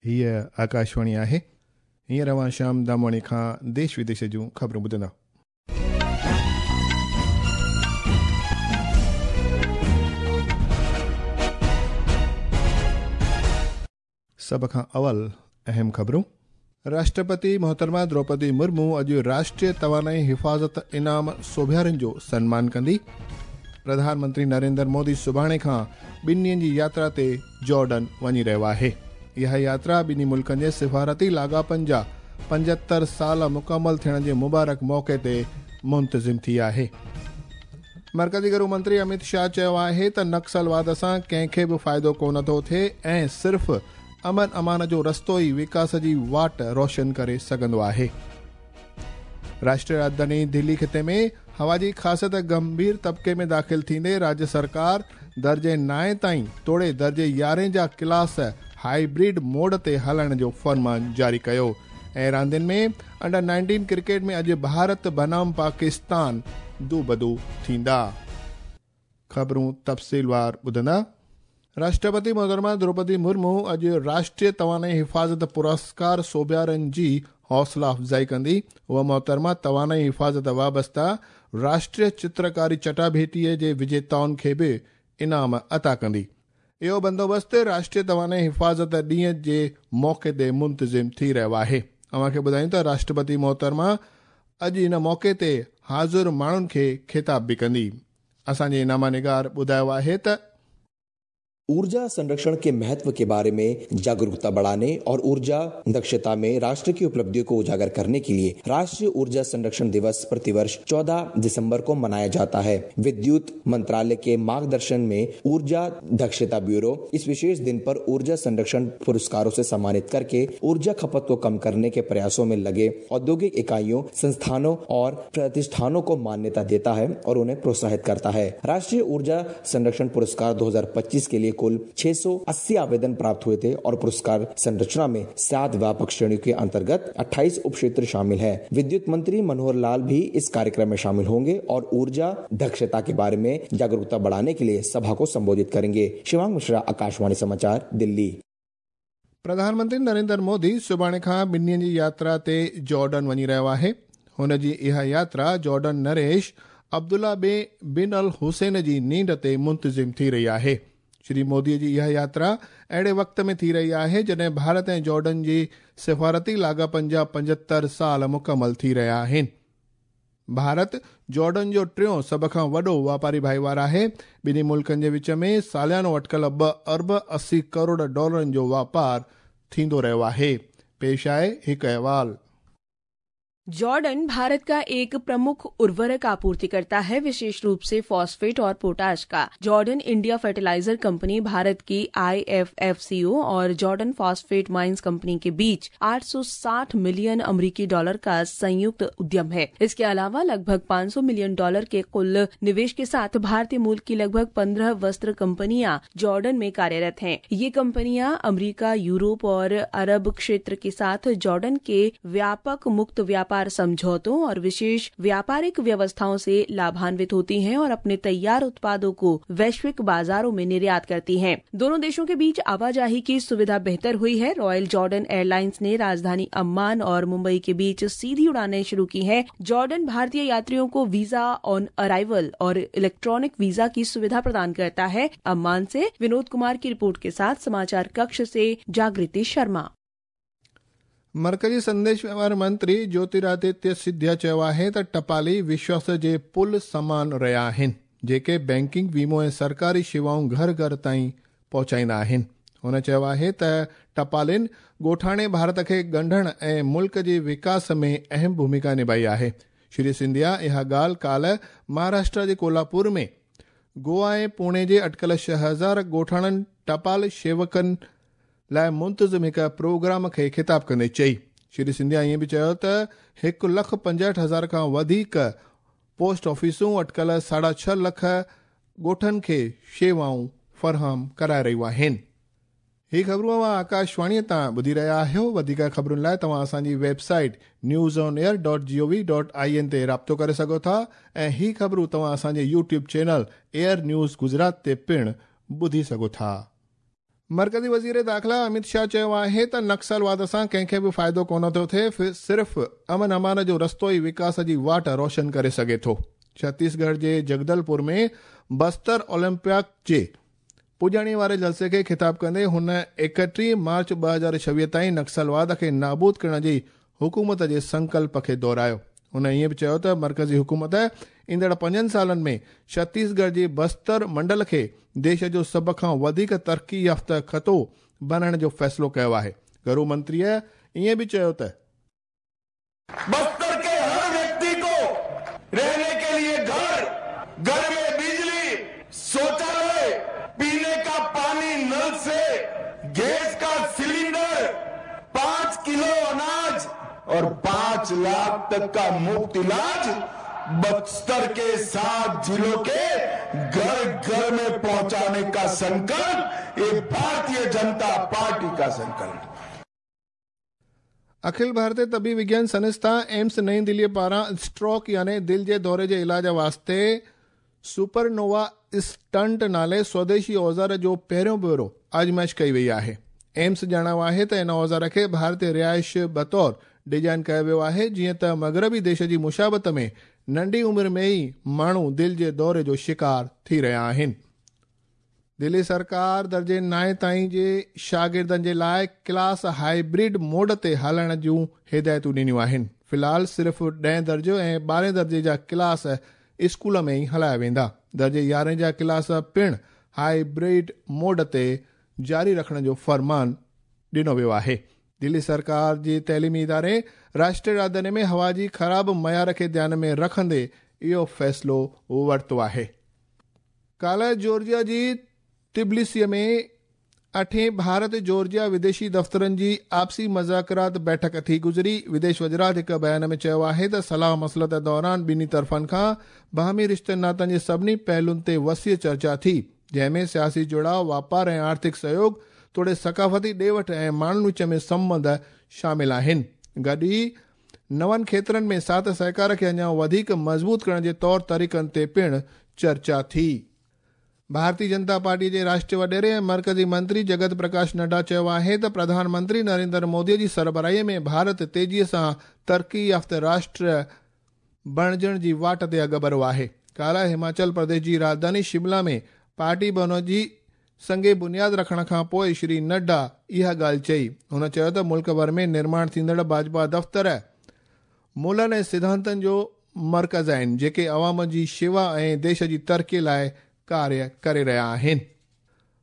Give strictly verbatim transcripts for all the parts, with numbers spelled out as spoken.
हीअ आकाशवाणी आहे। हींअर अव्हां श्याम दामवाणी खां देश विदेश जूं ख़बरूं ॿुधंदा। सभ खां अवल अहम ख़बरूं। राष्ट्रपति मोहतरमा द्रौपदी मुर्मू अॼु राष्ट्रीय तवानाई हिफ़ाज़त इनाम सोभियारनि जो सन्मान कंदी। प्रधानमंत्री नरेंद्र मोदी सुभाणे खां ॿिनि ॾींहनि जी यात्रा ते जॉर्डन वञी रहियो आहे। इहा यात्रा ॿिन्ही मुल्कनि जे सिफारती लाॻापनि जा पंजहतरि साल मुकमल थियण जे मुबारक मौक़े ते मुंतज़िम थी आहे। मर्कज़ी गृह मंत्री अमित शाह चयो आहे त नक्सलवाद सां कंहिंखे बि फ़ाइदो कोन थो थिए ऐं सिर्फ़ अमन अमान जो रस्तो ई विकास जी वाट रोशन करे सघंदो आहे। राष्ट्रीय राजधानी दिल्ली ख़िते में हवा जी ख़ासियत गंभीर तबके में दाख़िल थींदे राज्य सरकार दर्जे नाए ताईं तोड़े दर्जे यारहें जा क्लास हाइब्रिड मोड ते हलण जो फरमान जारी कयो। ऐं रांदियुनि में अंडर नाइनटीन क्रिकेट में अॼु भारत बनाम पाकिस्तान दूबदू थींदा। ख़बरूं तफ़सीलवार ॿुधंदा। राष्ट्रपति मोहतरमा द्रौपदी मुर्मू अॼु राष्ट्रीय तवानाई हिफ़ाज़त पुरस्कार सोभियारनि जी हौसला अफ़ज़ाई कंदी। उहा मोहतरमा तवानाई हिफ़ाज़त वाबस्ता राष्ट्रीय चित्रकारी चटाभेटीअ जे विजेताउनि खे बि इनाम अता कंदी। इहो बंदोबस्तु राष्ट्रीय तवानाई हिफ़ाज़त ॾींहं जे मौक़े ते मुंतज़िम थी रहियो आहे। अव्हांखे ॿुधायूं त राष्ट्रपति मोहतरमा अॼु इन मौक़े ते हाज़िर माण्हुनि खे ख़िताब बि कंदी। असांजे इनामा निगार ॿुधायो आहे त ऊर्जा संरक्षण के महत्व के बारे में जागरूकता बढ़ाने और ऊर्जा दक्षता में राष्ट्र की उपलब्धियों को उजागर करने के लिए राष्ट्रीय ऊर्जा संरक्षण दिवस प्रतिवर्ष चौदह दिसंबर को मनाया जाता है। विद्युत मंत्रालय के मार्गदर्शन में ऊर्जा दक्षता ब्यूरो इस विशेष दिन पर ऊर्जा संरक्षण पुरस्कारों से सम्मानित करके ऊर्जा खपत को कम करने के प्रयासों में लगे औद्योगिक इकाइयों, संस्थानों और प्रतिष्ठानों को मान्यता देता है और उन्हें प्रोत्साहित करता है। राष्ट्रीय ऊर्जा संरक्षण पुरस्कार दो हजार पच्चीस के लिए कुल छह सौ अस्सी आवेदन प्राप्त हुए थे और पुरस्कार संरचना में सात व्यापक श्रेणियों के अंतर्गत अट्ठाईस उप क्षेत्र शामिल हैं। विद्युत मंत्री मनोहर लाल भी इस कार्यक्रम में शामिल होंगे और ऊर्जा दक्षता के बारे में जागरूकता बढ़ाने के लिए सभा को संबोधित करेंगे। शिवांग मिश्रा, आकाशवाणी समाचार, दिल्ली। प्रधानमंत्री नरेंद्र मोदी सुभाणे खां ॿिनि ॾींहनि जी यात्रा ते जॉर्डन वञी रहियो आहे। हुन जी इहा यात्रा जॉर्डन नरेश अब्दुल्ला बे बिन अल हुसैन जी नींड ते मुंतज़िम थी रही आहे। श्री मोदी जी इहा यात्रा अहिड़े वक़्त में थी रही आहे जॾहिं भारत ऐं जॉर्डन जी सिफारती लाॻापनि जा पंजहतरि साल मुकमल थी रहिया आहिनि। भारत जॉर्डन जो टियों सभ खां वॾो वापारी भाईवार आहे। ॿिन्ही मुल्कनि जे विच में सालियानो अटकल ॿ अरब असी करोड़ डॉलरनि जो वापार थींदो रहियो आहे। पेश आहे हिकु अहवाल। जॉर्डन भारत का एक प्रमुख उर्वरक आपूर्तिकर्ता है, विशेष रूप से फॉस्फेट और पोटाश का। Jordan India fertiliser company Bharat की I F F C ओ और जॉर्डन फॉस्फेट माइंस कंपनी के बीच आठ सौ साठ मिलियन अमेरिकी डॉलर का संयुक्त उद्यम है। इसके अलावा लगभग पाँच सौ मिलियन डॉलर के कुल निवेश के साथ भारतीय मूल की लगभग पंद्रह वस्त्र कंपनियां जॉर्डन में कार्यरत हैं। ये कंपनियां अमेरिका, यूरोप और अरब क्षेत्र के साथ जॉर्डन के व्यापक मुक्त व्यापार समझौतों और विशेष व्यापारिक व्यवस्थाओं से लाभान्वित होती हैं और अपने तैयार उत्पादों को वैश्विक बाजारों में निर्यात करती हैं। दोनों देशों के बीच आवाजाही की सुविधा बेहतर हुई है। रॉयल जॉर्डन एयरलाइंस ने राजधानी अम्मान और मुंबई के बीच सीधी उड़ानें शुरू की हैं। जॉर्डन भारतीय यात्रियों को वीजा ऑन अराइवल और इलेक्ट्रॉनिक वीजा की सुविधा प्रदान करता है। अम्मान से विनोद कुमार की रिपोर्ट के साथ समाचार कक्ष से जागृति शर्मा। मर्कज़ी संदेश व्यवहार मंत्री ज्योतिरादित्य सिंधिया चयो आहे त टपाली विश्वास जे पुल समान रहिया आहिनि, जेके बैंकिंग, वीमो ऐं सरकारी शेवाऊं घर घर ताईं पहुचाईंदा आहिनि। हुन चयो आहे त टपालिन ॻोठाणे भारत खे ॻंढण ऐं मुल्क जे विकास में अहम भूमिका निभाई आहे। श्री सिंधिया इहा ॻाल्हि काल्हि महाराष्ट्र जे कोल्हापुर में गोवा ऐं पुणे जे अटकल छह हज़ार ॻोठाणनि टपाल सेवकनि लाइ मुंतज़िम हिकु प्रोग्राम खे ख़िताब कंदे चई। श्री सिंधिया ईअं बि चयो त हिकु लख पंजहठि हज़ार खां वधीक पोस्ट ऑफिसूं अटकल साढा छह लख ॻोठनि खे शेवाऊं फरहम कराए रहियूं आहिनि। ही ख़बरूं अव्हां आकाशवाणीअ तां ॿुधी रहिया आहियो। वधीक ख़बरुनि लाइ तव्हां असांजी website news on air dot G O V dot I N ते राब्तो करे सघो था ऐं ही ख़बरूं तव्हां असांजे YouTube channel air news Gujarat ते पिणु ॿुधी सघो था। मर्कज़ी वज़ीर दाख़िला अमित शाह चयो आहे त नक्सलवाद सां कंहिंखे बि फ़ाइदो कोन थो थिए, सिर्फ़ अमन अमान जो रस्तो ई विकास जी वाट रोशन करे सघे थो। छत्तीसगढ़ जे जगदलपुर में बस्तर ओलंपिक जे पुॼाणी वारे जलसे खे ख़िताब कंदे हुन एकटीह मार्च ॿ हज़ार छवीह ताईं नक्सलवाद खे नाबूद करण जी हुकूमत जे संकल्प खे दोहरायो। हुन ईअं बि चयो त मर्कज़ी हुकूमत ईंदड़ पंजनि सालनि में छत्तीसगढ़ जे बस्तर मंडल खे देश जो सभ खां वधीक तरक़ी याफ़्ता ख़ितो बणाइण जो फ़ैसिलो कयो आहे। घरू मंत्रीअ ईअं बि चयो त बस्तर के हर व्यक्ति को रहने के लिए घर, घर में बिजली, शौचालय, पीने का पानी नल से, गैस का सिलेंडर, पांच किलो अनाज और पांच लाख तक का मुफ्त इलाज बस्तर के सात जिलों के घर घर में पहुंचाने का संकल्प ये भारतीय जनता पार्टी का संकल्प। अखिल भारतीय तबी विज्ञान संस्था एम्स नई दिल्ली पारां स्ट्रोक यानी दिल जे दौरे जे इलाज वास्ते सुपरनोवा स्टंट नाले स्वदेशी औज़ार जो पहिरियों भेरो आज़माइश कई वई आहे। एम्स ॼाणायो आहे त इन औज़ार खे भारतीय रिहाइश बतौर डिज़ाइन कयो वियो आहे, जीअं त मग़रबी देश जी मुशाबत में नंढी उमिरि में ई माण्हू दिलि जे दौरे जो शिकार थी रहिया आहिनि। दिल्ली सरकार दर्जे नाए ताईं जे शागिर्दनि जे लाइ क्लास हाइब्रिड मोड ते हलण जूं हिदायतूं ॾिनियूं आहिनि। फ़िलहाल सिर्फ़ ॾहें दर्जो ऐं ॿारहें दर्जे जा क्लास स्कूल में ई हलाया वेंदा। दर्जे यारहें जा क्लास पिणु हाइब्रिड मोड ते जारी रखण जो फरमान ॾिनो वियो आहे। दिल्ली सरकार जी तइलीमी इदारे राष्ट्रीय राजधानी में हवा जी ख़राब मयार खे ध्यान में रखंदे इहो फ़ैसिलो वरितो आहे। काल्ह जॉर्जिया जी तिबलिसी में अठें भारत जॉर्जिया विदेशी दफ़्तरनि जी आपसी मुज़ाकरात बैठक थी गुज़री। विदेश वज़ारत हिकु बयान में चयो आहे त सलाह मसलत दौरान ॿिन्ही तरफ़नि खां बाहमी रिश्तनि नातनि जे सभिनी पहलुनि ते वसीअ चर्चा थी, जंहिंमें सियासी जुड़ाव, वापार ऐं आर्थिक सहयोग तोड़े सकाफ़ती ॾे वठ ऐं माण्हुनि विच में संबंध शामिल आहिनि। गॾु ई नवनि खेत्रनि में साथ सहकार खे अञा वधीक मज़बूत करण जे तौर तरीक़नि ते पिणु चर्चा थी। भारतीय जनता पार्टी जे राष्ट्रीय वॾेरे ऐं मर्कज़ी मंत्री जगत प्रकाश नड्डा चयो आहे त प्रधानमंत्री नरेंद्र मोदीअ जी सरबराहीअ में भारत तेज़ीअ सां तरक़ी याफ़्ता राष्ट्र बणिजण जी वाट ते अॻुभरो आहे। काल्ह हिमाचल प्रदेश जी राजधानी शिमला में पार्टी भवन जी संगे बुनियाद रखण खां पोइ श्री नड्डा इहा ॻाल्हि चई। हुन चयो त मुल्क भर में निर्माण थींदड़ भाजपा दफ़्तर मूलनि ऐं सिद्धांतनि जो मर्कज़ आहिनि, जेके अवाम जी शेवा ऐं देश जी तरक़ी लाइ कार्य करे रहिया आहिनि।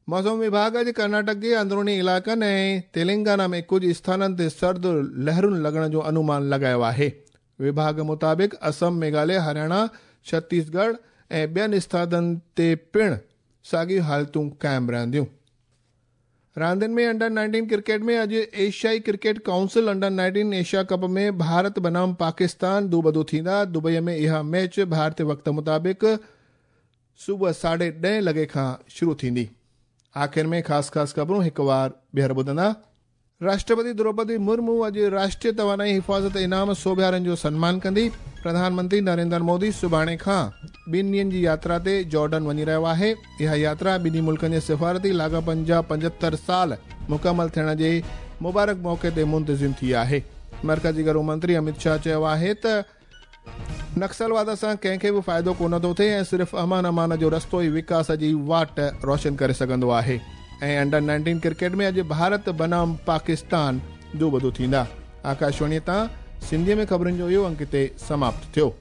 मौसम विभाग अॼु कर्नाटक जे अंदरूनी इलाइक़नि ऐं तेलंगाना में कुझु स्थाननि ते सर्द लहरुनि लॻण जो अनुमान लॻायो आहे। विभाग मुताबिक़ असम, मेघालय, हरियाणा, छत्तीसगढ़ ऐं ॿियनि स्थाननि ते पिणु साॻियूं हालतूं क़ाइमु रहंदियूं। रांदियुनि में अंडर नाइनटीन क्रिकेट में अॼु एशियाई cricket council under nineteen Asia cup में भारत बनाम पाकिस्तान दूबदू थींदा। दुबईअ में इहा मैच भारतीय वक़्त मुताबिक़ सुबुह साढे ॾहें लॻे खां शुरू थींदी। आख़िर में ख़ासि ख़ासि ख़बरूं हिकु वार ॿीहर ॿुधंदा। राष्ट्रपति द्रौपदी मुर्मू अॼु राष्ट्रीय तवानाई हिफ़ाज़त इनाम सोभियारनि जो सन्मान कंदी। प्रधानमंत्री नरेंद्र मोदी सुभाणे खां ॿिनि ॾींहंनि जी यात्रा ते जॉर्डन वञी रहियो आहे। इहा यात्रा ॿिन्ही मुल्कनि जे सिफ़ारती लाॻापनि जा पंजहतरि साल मुकमल थियण जे मुबारक मौक़े ते मुंतज़िम थी आहे। मर्कज़ी घरू मंत्री अमित शाह चयो आहे त नक्सलवाद सां कंहिंखे बि फ़ाइदो कोन थो थिए ऐं सिर्फ़ अमन अमान जो रस्तो ई विकास जी वाट रोशन करे सघंदो आहे। ऐं अंडर नाइनटीन क्रिकेट में अॼु भारत बनाम पाकिस्तान दूबदू थींदा। आकाशवाणीअ तां सिंधीअ में ख़बरुनि जो इहो अंक हिते समाप्त थियो।